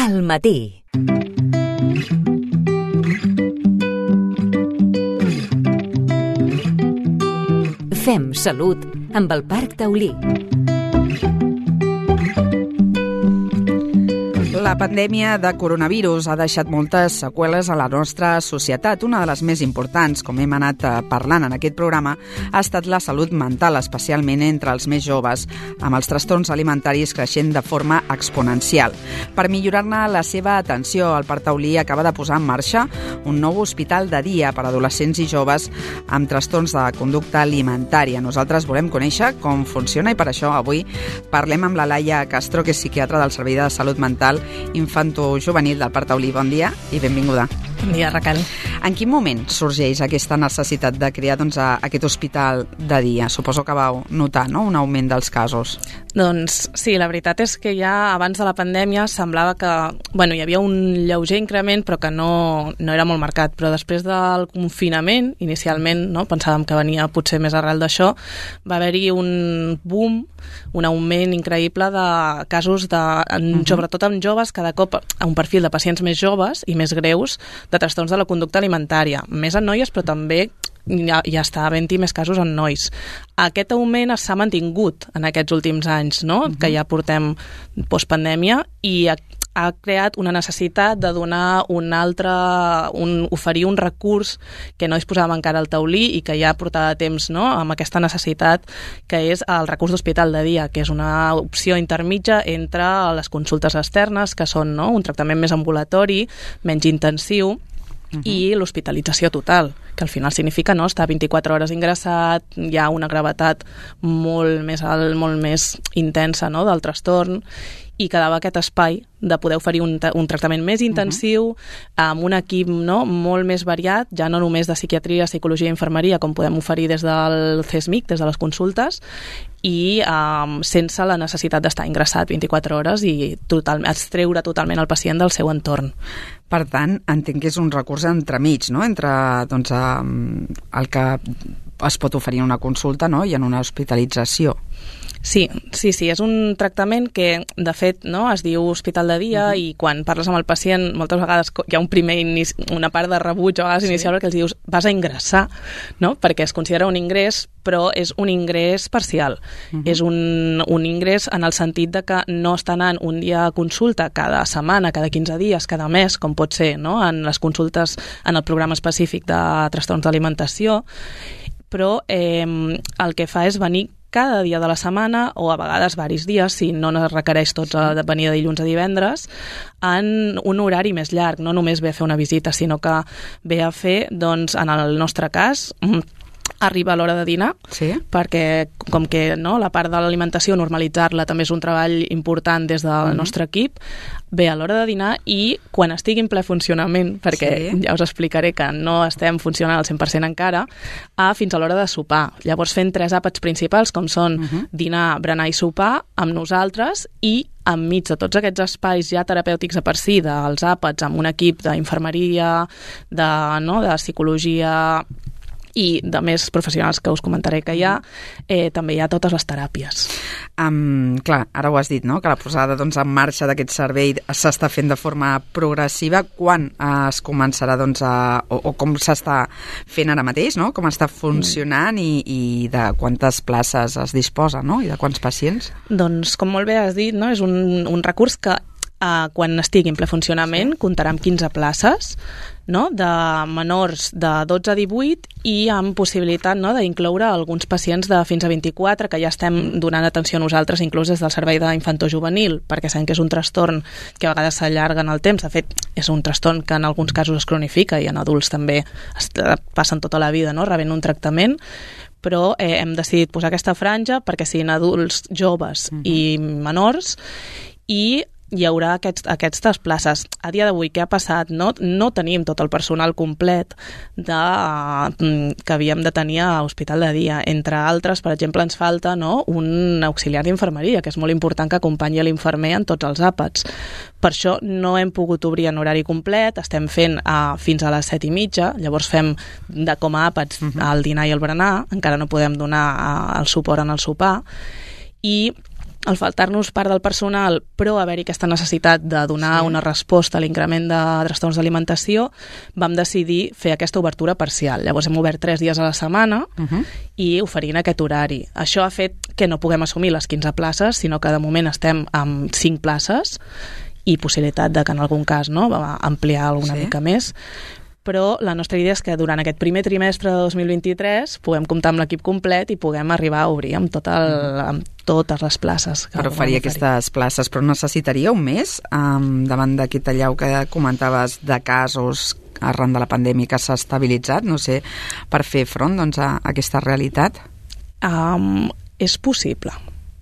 Al matí. Fem salut amb el Parc Taulí. La pandèmia de coronavirus ha deixat moltes seqüeles a la nostra societat. Una de les més importants, com hem anat parlant en aquest programa, ha estat la salut mental, especialment entre els més joves, amb els trastorns alimentaris creixent de forma exponencial. Per millorar-ne la seva atenció, el Parc Taulí acaba de posar en marxa un nou hospital de dia per a adolescents i joves amb trastorns de conducta alimentària. Nosaltres volem conèixer com funciona i per això avui parlem amb la Laia Castro, que és psiquiatra del Servei de Salut Mental Infantojuvenil del Parc Taulí. Bon dia i benvinguda. Bon dia, Raquel. En quin moment sorgeix aquesta necessitat de crear aquest hospital de dia? Suposo que vau notar, no?, un augment dels casos. Doncs sí, la veritat és que ja abans de la pandèmia semblava que hi havia un lleuger increment però que no era molt marcat, però després del confinament, inicialment, no, pensàvem que venia potser més arrel d'això, va haver-hi un boom, un augment increïble de casos, sobretot amb joves, cada cop a un perfil de pacients més joves i més greus de trastorns de la conducta alimentària, més en noies però també ja està havent-hi més casos en nois. Aquest augment s'ha mantingut en aquests últims anys, no? Que ja portem postpandèmia, i ha creat una necessitat de donar oferir un recurs que no disposàvem encara al Taulí i que ja portava temps, no?, amb aquesta necessitat, que és el recurs d'hospital de dia, que és una opció intermitja entre les consultes externes, que són, no?, un tractament més ambulatori, menys intensiu, i l'hospitalització total, que al final significa, no, estar 24 hores ingressat, hi ha una gravetat molt més intensa, no?, del trastorn, i quedava aquest espai de poder oferir un tractament més intensiu, amb un equip, no?, molt més variat, ja no només de psiquiatria, psicologia i infermeria, com podem oferir des del CESMIC, des de les consultes, i sense la necessitat d'estar ingressat 24 hores i extreure totalment el pacient del seu entorn. Per tant, entenc que és un recurs entremig, no?, entre el que es pot oferir en una consulta, no?, i en una hospitalització. Sí, és un tractament que, de fet, no, es diu hospital de dia, i quan parles amb el pacient moltes vegades hi ha una part de rebuig a vegades inicial, perquè els dius vas a ingressar, no?, perquè es considera un ingrés, però és un ingrés parcial. És un ingrés en el sentit de que no està anant un dia a consulta cada setmana, cada 15 dies, cada mes, com pot ser, no?, en les consultes en el programa específic de trastorns d'alimentació, però el que fa és venir cada dia de la setmana, o a vegades varis dies, si no es requereix tots de venir de dilluns a divendres, en un horari més llarg. No només ve a fer una visita, sinó que ve a fer, doncs, en el nostre cas, arriba a l'hora de dinar, perquè com que, no, la part de l'alimentació, normalitzar-la també és un treball important des del nostre equip, ve a l'hora de dinar i quan estigui en ple funcionament, perquè ja us explicaré que no estem funcionant al 100% encara, fins a l'hora de sopar. Llavors fent 3 àpats principals, com són dinar, berenar i sopar, amb nosaltres, i enmig de tots aquests espais ja terapèutics a per si, dels àpats, amb un equip d'infermeria, de psicologia i de més professionals que us comentaré que hi ha, també hi ha totes les teràpies. Clar, ara ho has dit, no?, que la posada en marxa d'aquest servei s'està fent de forma progressiva. Quan es començarà, o com s'està fent ara mateix, no?, com està funcionant i de quantes places es disposa, no?, i de quants pacients? Doncs, com molt bé has dit, no?, és un recurs que quan estigui en ple funcionament comptarà amb 15 places, no?, de menors de 12 a 18 i amb possibilitat, no?, d'incloure alguns pacients de fins a 24 que ja estem donant atenció a nosaltres, inclús des del servei d'infantojuvenil, perquè sabem que és un trastorn que a vegades s'allarga en el temps. De fet, és un trastorn que en alguns casos es cronifica i en adults també passen tota la vida, no?, rebent un tractament, però hem decidit posar aquesta franja perquè siguin adults joves i menors, i hi haurà aquestes places. A dia d'avui, què ha passat? No tenim tot el personal complet que havíem de tenir a l'hospital de dia. Entre altres, per exemple, ens falta, no?, un auxiliar d'infermeria, que és molt important que acompanyi l'infermer en tots els àpats. Per això no hem pogut obrir en horari complet, estem fent fins a les 7:30, llavors fem com a àpats el dinar i el berenar, encara no podem donar el suport en el sopar, i al faltar-nos part del personal, però haver-hi aquesta necessitat de donar una resposta a l'increment de trastorns d'alimentació, vam decidir fer aquesta obertura parcial. Llavors hem obert 3 dies a la setmana i oferint aquest horari. Això ha fet que no puguem assumir les 15 places, sinó que de moment estem amb 5 places i possibilitat de que en algun cas ampliar alguna mica més. Però la nostra idea és que durant aquest primer trimestre de 2023 puguem comptar amb l'equip complet i puguem arribar a obrir amb totes les places. Però faria aquestes places, però necessitaria un mes davant d'aquest allau que comentaves de casos arran de la pandèmia que s'ha estabilitzat, no sé, per fer front a aquesta realitat? És possible.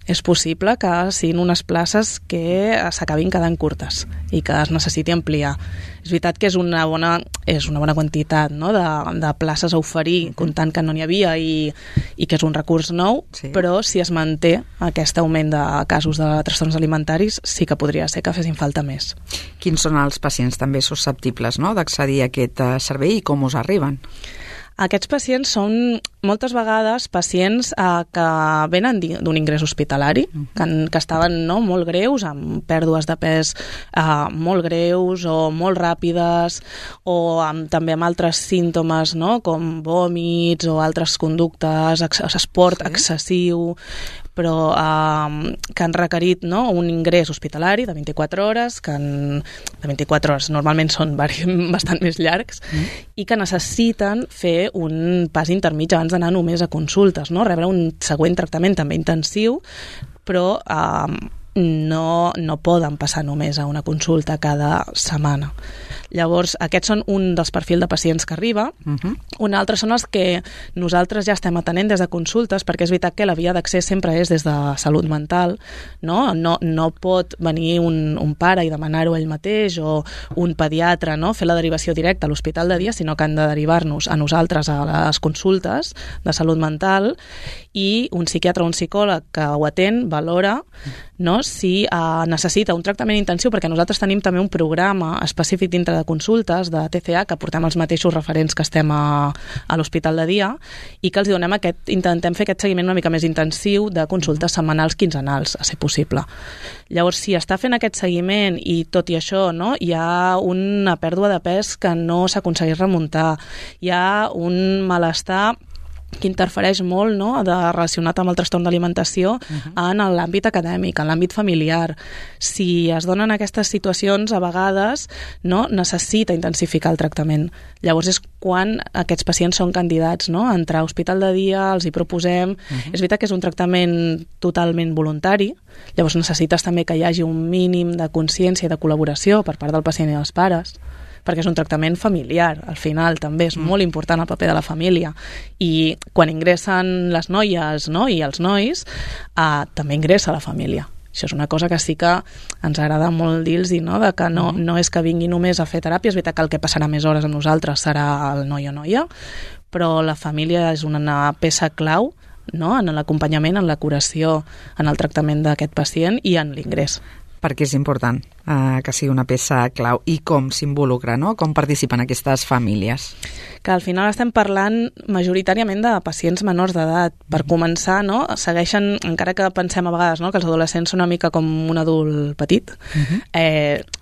És possible que siguin unes places que s'acabin quedant curtes i que es necessiti ampliar. És veritat que és una bona quantitat de places a oferir, comptant que no n'hi havia i que és un recurs nou, però si es manté aquest augment de casos de trastorns alimentaris, sí que podria ser que fessin falta més. Quins són els pacients també susceptibles d'accedir a aquest servei i com us arriben? Aquests pacients són moltes vegades pacients que venen d'un ingrés hospitalari, que estaven molt greus, amb pèrdues de pes molt greus o molt ràpides, o també amb altres símptomes com vòmits o altres conductes, esport excessiu, però que han requerit un ingrés hospitalari de 24 hores, de 24 hores normalment són bastant més llargs, i que necessiten fer un pas intermig abans d'anar només a consultes, rebre un següent tractament també intensiu, però no poden passar només a una consulta cada setmana. Llavors, aquests són un dels perfils de pacients que arriba. Un altre són els que nosaltres ja estem atenent des de consultes, perquè és veritat que la via d'accés sempre és des de salut mental, no pot venir un pare i demanar-ho ell mateix, o un pediatre, fer la derivació directa a l'hospital de dia, sinó que han de derivar-nos a nosaltres a les consultes de salut mental, i un psiquiatre o un psicòleg que ho atén valora si necessita un tractament intensiu, perquè nosaltres tenim també un programa específic dintre de consultes de TCA, que portem els mateixos referents que estem a l'hospital de dia, i que els donem intentem fer aquest seguiment una mica més intensiu de consultes setmanals, quinzenals, a ser possible. Llavors, si està fent aquest seguiment i tot i això hi ha una pèrdua de pes que no s'aconsegueix remuntar, hi ha un malestar que interfereix molt relacionat amb el trastorn d'alimentació en l'àmbit acadèmic, en l'àmbit familiar. Si es donen aquestes situacions, a vegades necessita intensificar el tractament. Llavors és quan aquests pacients són candidats a entrar a hospital de dia, els hi proposem. És veritat que és un tractament totalment voluntari, llavors necessites també que hi hagi un mínim de consciència i de col·laboració per part del pacient i dels pares, perquè és un tractament familiar, al final també és molt important el paper de la família, i quan ingressen les noies i els nois, també ingressa la família. Això és una cosa que sí que ens agrada molt dir-los, de que no és que vingui només a fer teràpia, és veritat que el que passarà més hores amb nosaltres serà el noi o noia, però la família és una peça clau en l'acompanyament, en la curació, en el tractament d'aquest pacient i en l'ingrés. Perquè és important que sigui una peça clau. I com s'involucra, com participen aquestes famílies? Que al final estem parlant majoritàriament de pacients menors d'edat. Per començar, segueixen, encara que pensem a vegades que els adolescents són una mica com un adult petit,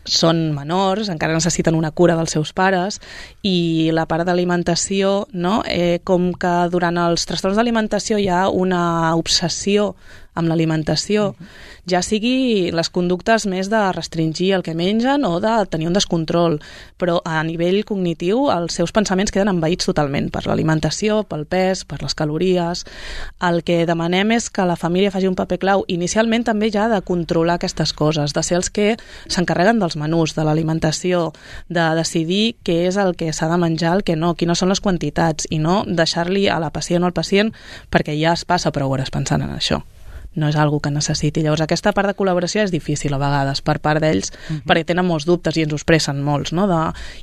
són menors, encara necessiten una cura dels seus pares, i la part d'alimentació, com que durant els trastorns d'alimentació hi ha una obsessió amb l'alimentació, ja sigui les conductes més de restringir el que mengen o de tenir un descontrol, però a nivell cognitiu els seus pensaments queden envaïts totalment per l'alimentació, pel pes, per les calories. El que demanem és que la família faci un paper clau, inicialment també ja de controlar aquestes coses, de ser els que s'encarreguen dels menús, de l'alimentació, de decidir què és el que s'ha de menjar, el que no, quines són les quantitats, i no deixar-li a la pacient o al pacient perquè ja es passa prou hores pensant en això. No és algo que necessiti. Llavors, aquesta part de col·laboració és difícil a vegades per part d'ells, perquè tenen molts dubtes i ens ho expressen molts,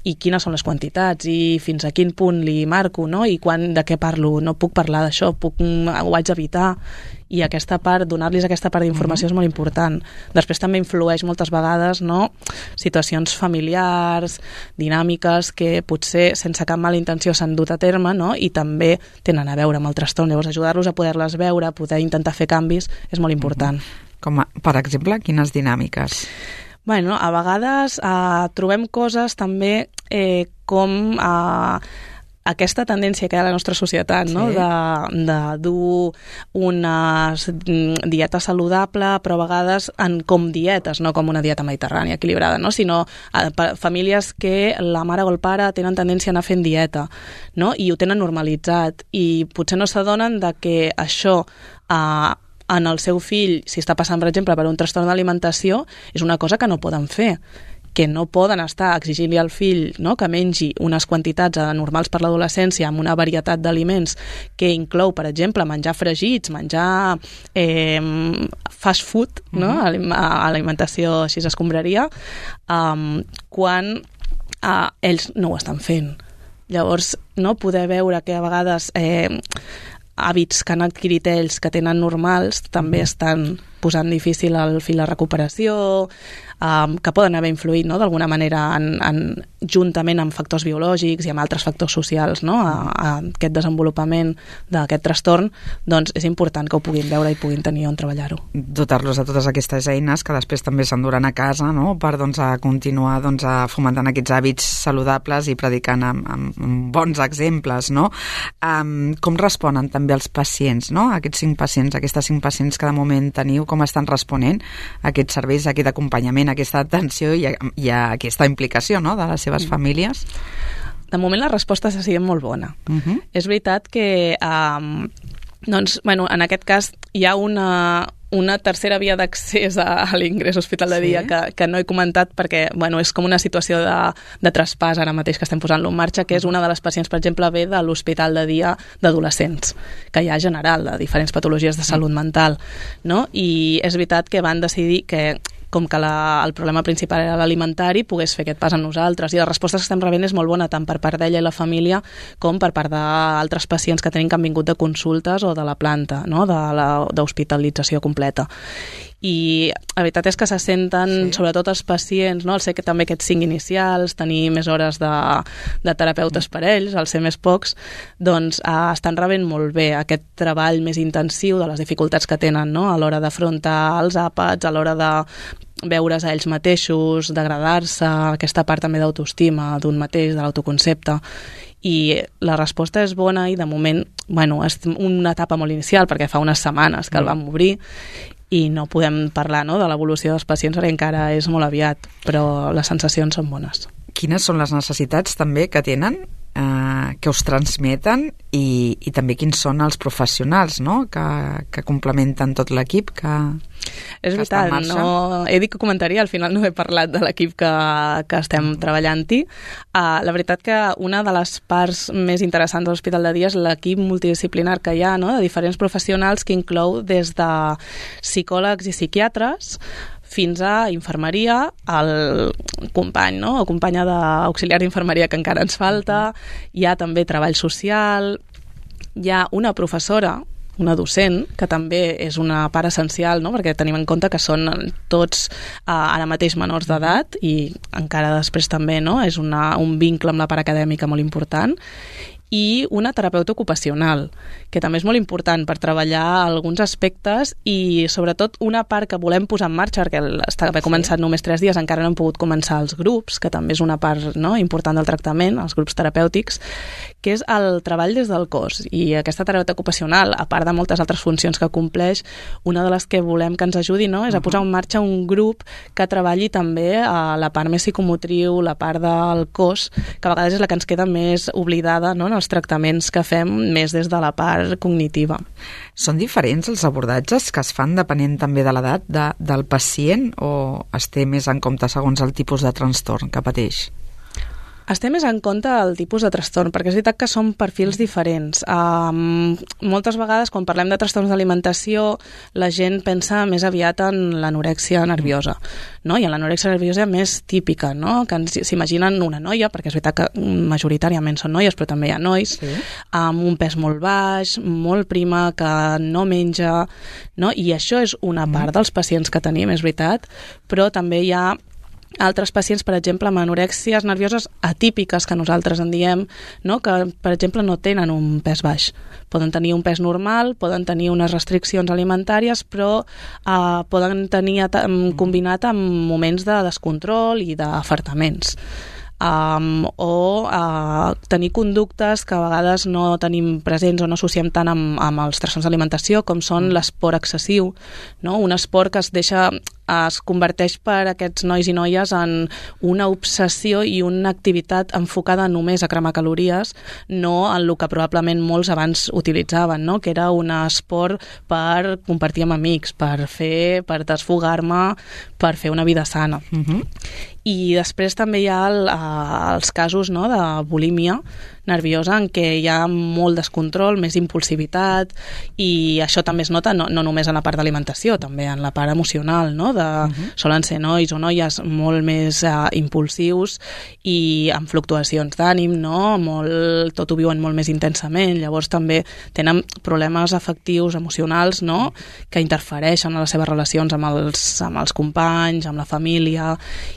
i quines són les quantitats, i fins a quin punt li marco, i de què parlo, no puc parlar d'això, ho haig d'evitar. I aquesta part, donar-los aquesta part d'informació és molt important. Després també influeix moltes vegades situacions familiars, dinàmiques que potser sense cap mala intenció s'han dut a terme, i també tenen a veure amb el trastorn. Llavors ajudar-los a poder-les veure, poder intentar fer canvis és molt important. Com, per exemple, quines dinàmiques? Bueno, a vegades trobem coses també com aquesta tendència que hi ha a la nostra societat, no? De dur una dieta saludable, però a vegades com dietes, no com una dieta mediterrània equilibrada, no? Sinó famílies que la mare o el pare tenen tendència a anar fent dieta, no? I ho tenen normalitzat i potser no s'adonen de que això en el seu fill, si està passant, per exemple, per un trastorn d'alimentació, és una cosa que no poden fer, que no poden estar exigint-li al fill, no?, que mengi unes quantitats normals per l'adolescència amb una varietat d'aliments que inclou, per exemple, menjar fregits, menjar fast food, no?, alimentació així escombraria, quan ells no ho estan fent. Llavors, no poder veure que a vegades hàbits que han adquirit ells que tenen normals també estan posant difícil al fill la recuperació, que poden haver influït, no?, d'alguna manera juntament amb factors biològics i amb altres factors socials, no?, a aquest desenvolupament d'aquest trastorn, doncs és important que ho puguin veure i puguin tenir on treballar-ho. Dotar-los de totes aquestes eines que després també s'enduran a casa, no?, per a continuar fomentant aquests hàbits saludables i predicant amb bons exemples, no? Com responen també els pacients, no?, aquests 5 pacients, aquestes 5 pacients que de moment teniu, com estan responent a aquests serveis, a aquest acompanyament, a aquesta atenció i a aquesta implicació, no?, de les seves famílies? De moment la resposta ha sigut molt bona. És veritat que doncs, bueno, en aquest cas hi ha una tercera via d'accés a l'ingrés hospital de dia que no he comentat perquè bueno, és com una situació de traspàs ara mateix que estem posant-lo en marxa, que és una de les pacients, per exemple, ve de l'hospital de dia d'adolescents, que hi ha general de diferents patologies de salut mental, no? I és veritat que van decidir que com que el problema principal era l'alimentari, pogués fer aquest pas amb nosaltres. I la resposta que estem rebent és molt bona, tant per part d'ella i la família, com per part d'altres pacients que tenim que han vingut de consultes o de la planta, no?, d'hospitalització completa. I la veritat és que se senten, sobretot els pacients, no?, el ser que també aquests 5 inicials, tenir més hores de terapeutes per ells, al ser més pocs, doncs estan rebent molt bé aquest treball més intensiu de les dificultats que tenen, no?, a l'hora d'afrontar els àpats, a l'hora de veure's a ells mateixos, d'agradar-se, aquesta part també d'autoestima d'un mateix, de l'autoconcepte. I la resposta és bona i de moment, bueno, és una etapa molt inicial perquè fa unes setmanes que el vam obrir i no podem parlar, no?, de l'evolució dels pacients perquè encara és molt aviat, però les sensacions són bones. Quines són les necessitats també que tenen, que us transmeten i també quins són els professionals, no?, que complementen tot l'equip que és veritat, no, he dit que comentaria, al final no he parlat de l'equip que estem treballant-hi. La veritat que una de les parts més interessants de l'Hospital de Dia és l'equip multidisciplinar que hi ha, no?, de diferents professionals que inclou des de psicòlegs i psiquiatres fins a infermeria, el company, no?, o companya d'auxiliar d'infermeria que encara ens falta, hi ha també treball social, hi ha una professora, una docent, que també és una part essencial, no?, perquè tenim en compte que són tots ara mateix menors d'edat i encara després també, no?, és un vincle amb la part acadèmica molt important, i una terapeuta ocupacional, que també és molt important per treballar alguns aspectes i sobretot una part que volem posar en marxa, perquè haver començat només 3 dies, encara no hem pogut començar els grups, que també és una part, no?, important del tractament, els grups terapèutics, que és el treball des del cos. I aquesta terapeuta ocupacional, a part de moltes altres funcions que compleix, una de les que volem que ens ajudi, no?, és a posar en marxa un grup que treballi també a la part més psicomotriu, la part del cos, que a vegades és la que ens queda més oblidada, no?, en els tractaments que fem més des de la part cognitiva. Són diferents els abordatges que es fan depenent també de l'edat del pacient o es té més en compte segons el tipus de trastorn que pateix? Es té més en compte el tipus de trastorn, perquè és veritat que són perfils diferents. Moltes vegades, quan parlem de trastorns d'alimentació, la gent pensa més aviat en l'anorèxia nerviosa, no? I en l'anorèxia nerviosa més típica, no?, que s'imaginen una noia, perquè és veritat que majoritàriament són noies, però també hi ha nois, amb un pes molt baix, molt prima, que no menja, no? I això és una part dels pacients que tenim, és veritat, però també hi ha altres pacients, per exemple, amb anorèxies nervioses atípiques, que nosaltres en diem, no? Que, per exemple, no tenen un pes baix. Poden tenir un pes normal, poden tenir unes restriccions alimentàries, però poden tenir combinat amb moments de descontrol i d'afartaments. Tenir conductes que a vegades no tenim presents o no associem tant amb els trastorns d'alimentació, com són l'esport excessiu, no? Un esport que es converteix per aquests nois i noies en una obsessió i una activitat enfocada només a cremar calories, no en el que probablement molts abans utilitzaven, no? Que era un esport per compartir amb amics, per desfogar-me, per fer una vida sana. I després també hi ha els casos, no, de bulímia nerviosa, en què hi ha molt descontrol, més impulsivitat, i això també es nota no només en la part d'alimentació, també en la part emocional, no? Solen ser nois o noies molt més impulsius i amb fluctuacions d'ànim, no? Tot ho viuen molt més intensament, llavors també tenen problemes afectius, emocionals, no? Que interfereixen en les seves relacions amb els companys, amb la família,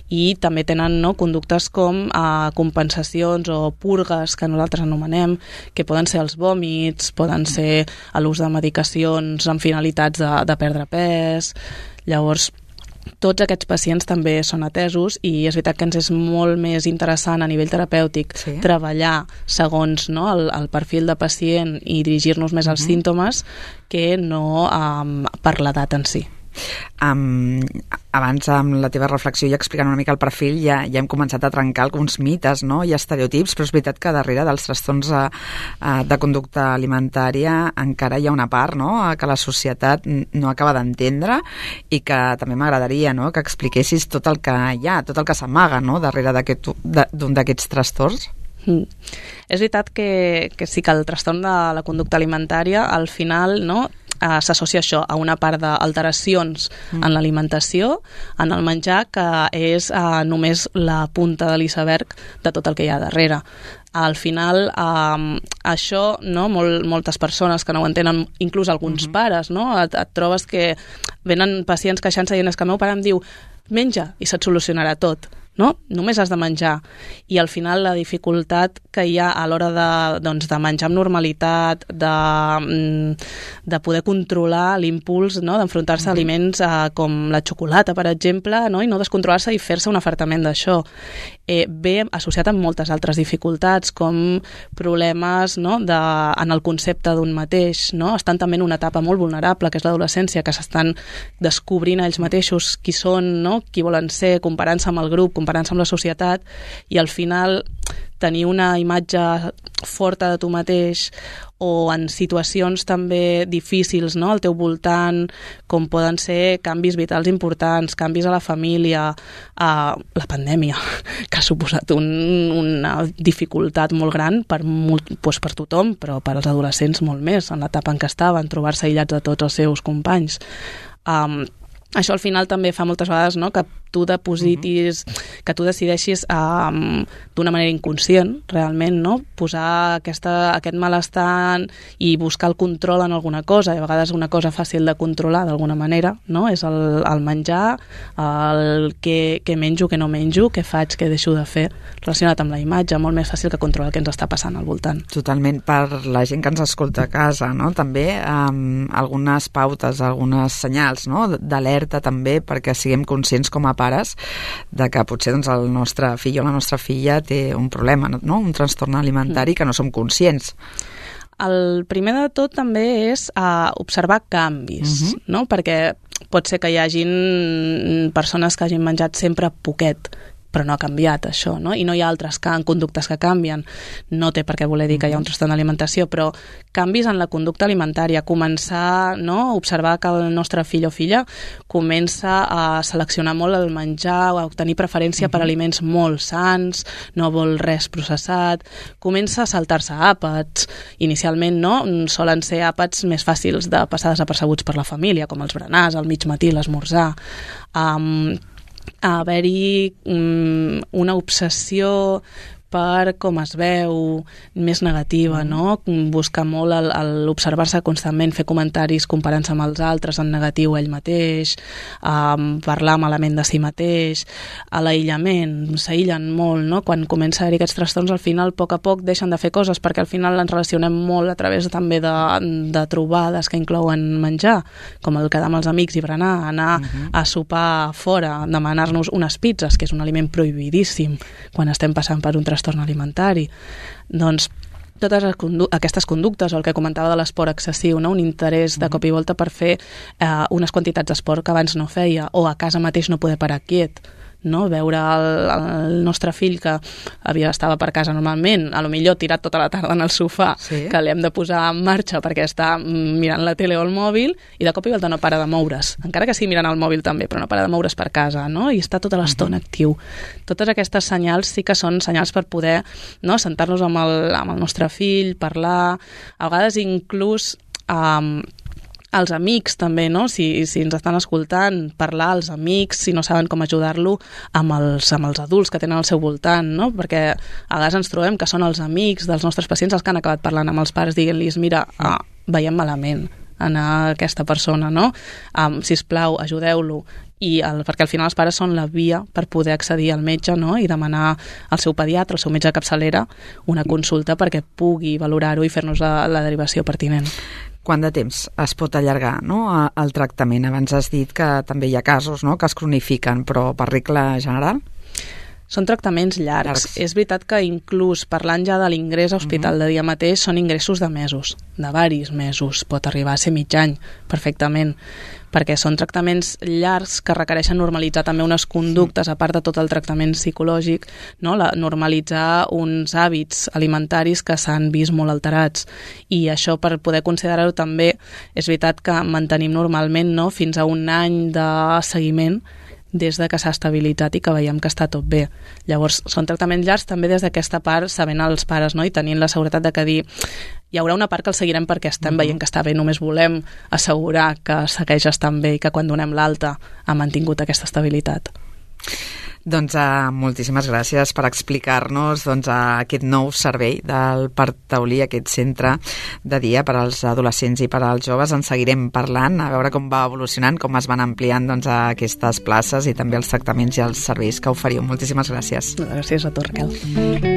i també tenen, no, conductes com compensacions o purgues, que nosaltres anomenem, que poden ser els vòmits, poden ser l'ús de medicacions amb finalitats de perdre pes. Llavors, tots aquests pacients també són atesos, i és veritat que ens és molt més interessant a nivell terapèutic treballar segons, no, el perfil de pacient i dirigir-nos més als símptomes que no per l'edat en si. Abans, amb la teva reflexió i explicant una mica el perfil, ja hem començat a trencar alguns mites, no? I estereotips, però és veritat que darrere dels trastorns de conducta alimentària encara hi ha una part, no?, que la societat no acaba d'entendre, i que també m'agradaria, no?, que expliquessis tot el que hi ha, tot el que s'amaga, no?, darrere d'un d'aquests trastorns. És veritat que sí que el trastorn de la conducta alimentària al final, no, s'associa això a una part d'alteracions en l'alimentació, en el menjar, que és només la punta de l'iceberg de tot el que hi ha darrere. Al final, això, no, moltes persones que no ho entenen, inclús alguns pares, no, et trobes que venen pacients queixant-se dient que el meu pare em diu menja i se't solucionarà tot. No? Només has de menjar, i al final la dificultat que hi ha a l'hora de menjar amb normalitat, de poder controlar l'impuls, no? D'enfrontar-se a aliments com la xocolata, per exemple, no? I no descontrolar-se i fer-se un afartament d'això. Ve associat amb moltes altres dificultats, com problemes, no, en el concepte d'un mateix, no? Estan també en una etapa molt vulnerable, que és l'adolescència, que s'estan descobrint ells mateixos qui són, no? Qui volen ser, comparant-se amb el grup, comparant-se amb la societat, i al final tenir una imatge forta de tu mateix, o en situacions també difícils, no?, al teu voltant, com poden ser canvis vitals importants, canvis a la família, la pandèmia, que ha suposat una dificultat molt gran per tothom, però per als adolescents molt més, en l'etapa en què estaven, trobar-se aïllats de tots els seus companys. Això al final també fa moltes vegades, no?, que tu depositis, que tu decideixis d'una manera inconscient, realment, no?, posar aquest malestar i buscar el control en alguna cosa, i a vegades una cosa fàcil de controlar d'alguna manera, no?, és el menjar, el què menjo, què no menjo, què faig, què deixo de fer, relacionat amb la imatge, molt més fàcil que controlar el que ens està passant al voltant. Totalment. Per la gent que ens escolta a casa, no?, també algunes pautes, algunes senyals, no?, d'alerta també, perquè siguem conscients com a pares de que potser doncs, el nostre fill o la nostra filla té un problema, no? Un trastorn alimentari que no som conscients. El primer de tot també és observar canvis, no? Perquè pot ser que hi hagin persones que hagin menjat sempre poquet, però no ha canviat això, no? I no hi ha altres conductes que canvien. No té per què voler dir que hi ha un trastorn d'alimentació, però canvis en la conducta alimentària, començar, no?, a observar que el nostre fill o filla comença a seleccionar molt el menjar, a tenir preferència per aliments molt sans, no vol res processat, comença a saltar-se àpats. Inicialment, no?, solen ser àpats més fàcils de passar desapercebuts per la família, com els berenars, al mig matí, l'esmorzar. A haver-hi una obsessió per com es veu, més negativa, no? Buscar molt l'observar-se constantment, fer comentaris comparant-se amb els altres en negatiu ell mateix, parlar malament de si mateix, a l'aïllament, s'aïllen molt, no? Quan comença a haver aquests trastorns, al final, a poc deixen de fer coses, perquè al final ens relacionem molt a través també de trobades que inclouen menjar, com el quedar amb els amics i berenar, anar a sopar fora, demanar-nos unes pizzas, que és un aliment prohibidíssim quan estem passant per un trastorn alimentari. Doncs totes aquestes conductes, o el que comentava de l'esport excessiu, no? Un interès de cop i volta per fer unes quantitats d'esport que abans no feia, o a casa mateix no poder parar quiet, no? Veure el nostre fill que estava per casa normalment, a lo millor tirat tota la tarda en el sofà, que l'hem de posar en marxa perquè està mirant la tele o el mòbil, i de cop i volta no para de moure's, encara que sigui mirant el mòbil també, però no para de moure's per casa, no? I està tota l'estona actiu. Totes aquestes senyals sí que són senyals per poder, no, sentar-nos amb el nostre fill, parlar, a vegades inclús els amics també, no? Si ens estan escoltant, parlar als amics, si no saben com ajudar-lo, amb els adults que tenen al seu voltant, no? Perquè a vegades ens trobem que són els amics dels nostres pacients els que han acabat parlant amb els pares, dient-los, mira, veiem malament anar a aquesta persona, no? Sisplau, ajudeu-lo. Perquè al final els pares són la via per poder accedir al metge, no? I demanar al seu pediatre, al seu metge de capçalera, una consulta perquè pugui valorar-ho i fer-nos la derivació pertinent. Quant de temps es pot allargar, no, el tractament? Abans has dit que també hi ha casos, no?, que es cronifiquen, però per regla general? Són tractaments llargs. És veritat que inclús parlant ja de l'ingrés a hospital de dia mateix són ingressos de mesos, de varis mesos, pot arribar a ser mig any perfectament, perquè són tractaments llargs que requereixen normalitzar també unes conductes, a part de tot el tractament psicològic, no? Normalitzar uns hàbits alimentaris que s'han vist molt alterats, i això, per poder considerar-ho també, és veritat que mantenim normalment, no?, fins a un any de seguiment des de que s'ha estabilitzat i que veiem que està tot bé. Llavors, són tractaments llargs també des d'aquesta part, sabent els pares, no?, i tenint la seguretat de que dir hi haurà una part que el seguirem perquè estem veient que està bé, només volem assegurar que segueix estant bé i que quan donem l'alta ha mantingut aquesta estabilitat. Doncs moltíssimes gràcies per explicar-nos aquest nou servei del Parc Taulí, aquest centre de dia per als adolescents i per als joves. En seguirem parlant, a veure com va evolucionant, com es van ampliant aquestes places i també els tractaments i els serveis que oferiu. Moltíssimes gràcies. Gràcies a tu, Raquel.